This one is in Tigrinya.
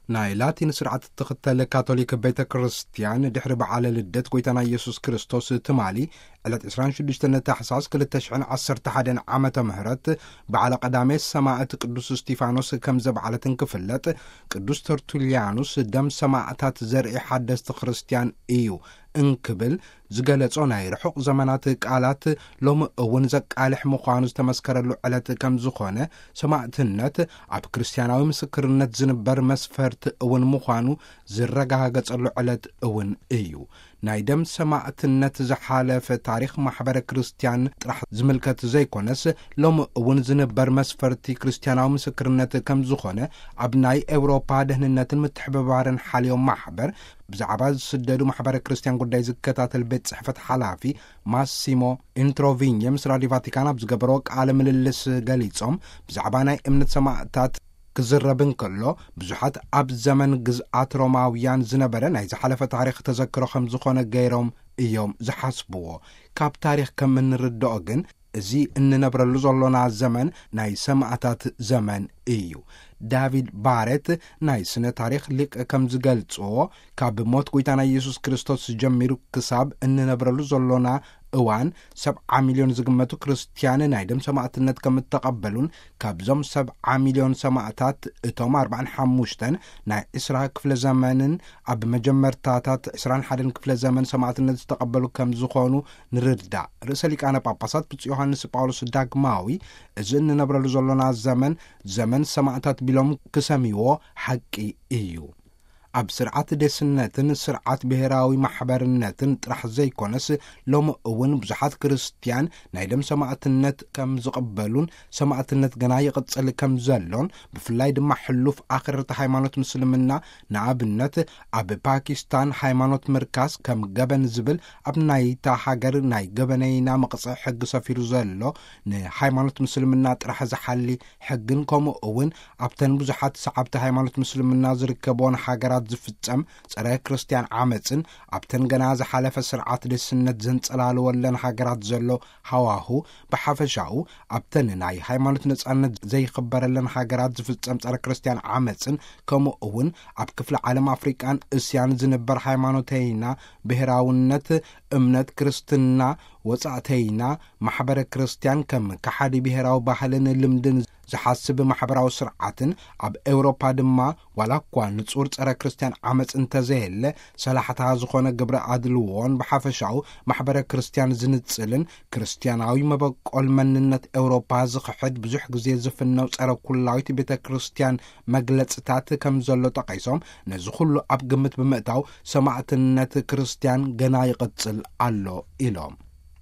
ናይ ላቲን ስርዓት እትኽተል ካቶሊክ ቤተ ክርስቲያን፣ ድሕሪ በዓለ ልደት ጐይታና ኢየሱስ ክርስቶስ ትማሊ ዕለት ዕስራን ሽዱሽተን ታሕሳስ ክልተ ሽሕን ዓሰርተ ሓደን ዓመተ ምህረት፣ በዓለ ቀዳሜ ሰማዕት ቅዱስ እስጢፋኖስ ከም ዘብዓለትን ክፍለጥ፣ ቅዱስ ተርቱልያኑስ ደም ሰማዕታት ዘርኢ ሓደስቲ ክርስቲያን እዩ እንክብል ዝገለጾ ናይ ርሑቕ ዘመናት ቃላት፣ ሎሚ እውን ዘቃልሕ ምዃኑ ዝተመስከረሉ ዕለት ከም ዝኾነ፣ ሰማዕትነት ኣብ ክርስቲያናዊ ምስክርነት ዝንበር መስፈርት እውን ምዃኑ ዝረጋገጸሉ ዕለት እውን እዩ። ናይ ደም ሰማዕትነት ዝሓለፈ ታሪኽ ማሕበረ ክርስቲያን ጥራሕ ዝምልከት ዘይኮነስ፣ ሎሚ እውን ዝንበር መስፈርቲ ክርስቲያናዊ ምስክርነት ከም ዝኾነ፣ ኣብ ናይ ኤውሮፓ ደህንነትን ምትሕብባርን ሓልዮም ማሕበር ብዛዕባ ዝስደዱ ማሕበረ ክርስቲያን ጉዳይ ዝከታተል ቤት ጽሕፈት ሓላፊ ማሲሞ ኢንትሮቪኘ ምስ ራዲዮ ቫቲካን ኣብ ዝገበሮ ቃለ ምልልስ ገሊጾም፣ ብዛዕባ ናይ እምነት ሰማዕታት ክዝረብ እንከሎ፣ ብዙሓት ኣብ ዘመን ግዝኣት ሮማውያን ዝነበረ ናይ ዝሓለፈ ታሪኽ ተዘክሮ ከም ዝኾነ ገይሮም እዮም ዝሓስብዎ። ካብ ታሪኽ ከም እንርድኦ ግን፣ እዚ እንነብረሉ ዘሎና ዘመን ናይ ሰማዕታት ዘመን እዩ። ዳቪድ ባሬት፣ ናይ ስነ ታሪኽ ሊቅ፣ ከም ዝገልጽዎ፣ ካብ ሞት ጐይታና ኢየሱስ ክርስቶስ ጀሚሩ ክሳብ እንነብረሉ ዘሎና እዋን፣ ሰብዓ ሚልዮን ዝግመቱ ክርስትያን ናይ ደም ሰማዕትነት ከም እተቐበሉን፣ ካብዞም ሰብዓ ሚልዮን ሰማዕታት እቶም ኣርባዓን ሓሙሽተን ናይ ዕስራ ክፍለ ዘመንን ኣብ መጀመርታታት ዕስራን ሓደን ክፍለ ዘመን ሰማዕትነት ዝተቐበሉ ከም ዝኾኑ ንርዳእ። ርእሰ ሊቃነ ጳጳሳት ብፁዕ ዮሃንስ ጳውሎስ ዳግማዊ፣ እዚ እንነብረሉ ዘሎና ዘመን፣ ዘመን ሰማዕታት ቢሎም ክሰምይዎ ሓቂ እዩ። ኣብ ስርዓት ዴስነትን ስርዓት ብሔራዊ ማሕበርነትን ጥራሕ ዘይኮነስ፣ ሎሚ እውን ብዙሓት ክርስትያን ናይ ደም ሰማዕትነት ከም ዝቕበሉን፣ ሰማዕትነት ገና ይቕጽል ከም ዘሎን፣ ብፍላይ ድማ ሕሉፍ ኣኽረርቲ ሃይማኖት ምስልምና፣ ንኣብነት ኣብ ፓኪስታን ሃይማኖት ምርካስ ከም ገበን ዝብል ኣብ ናይታ ሃገር ናይ ገበነይና መቕጽዒ ሕጊ ሰፊሩ ዘሎ፣ ንሃይማኖት ምስልምና ጥራሕ ዝሓሊ ሕግን፣ ከምኡ እውን ኣብተን ብዙሓት ሰዓብቲ ሃይማኖት ምስልምና ዝርከብዎን ሃገራት ዝፍጸም ጸረ ክርስትያን ዓመጽን፣ ኣብተን ገና ዝሓለፈ ስርዓት ዴስነት ዘንጸላልወለን ሃገራት ዘሎ ሃዋሁ ብሓፈሻኡ፣ ኣብተን ናይ ሃይማኖት ነጻነት ዘይኽበረለን ሃገራት ዝፍጸም ጸረ ክርስትያን ዓመጽን፣ ከምኡ እውን ኣብ ክፍለ ዓለም ኣፍሪቃን እስያን ዝንበር ሃይማኖተይና፣ ብሔራውነት፣ እምነት ክርስትና፣ ወጻእተይና፣ ማሕበረ ክርስትያን ከም ከሓዲ ብሔራዊ ባህልን ልምድን ዝሓስብ ማሕበራዊ ስርዓትን፣ ኣብ ኤውሮፓ ድማ ዋላ እኳ ንጹር ጸረ ክርስትያን ዓመጽ እንተዘየለ፣ ሰላሕታ ዝኾነ ግብረ ኣድልዎን ብሓፈሻኡ ማሕበረ ክርስትያን ዝንጽልን፣ ክርስትያናዊ መበቆል መንነት ኤውሮፓ ዝኽሕድ ብዙሕ ግዜ ዝፍነው ጸረ ኩላዊት ቤተ ክርስትያን መግለጽታት ከም ዘሎ ጠቒሶም፣ ነዚ ኩሉ ኣብ ግምት ብምእታው ሰማዕትነት ክርስትያን ገና ይቕጽል ኣሎ ኢሎም።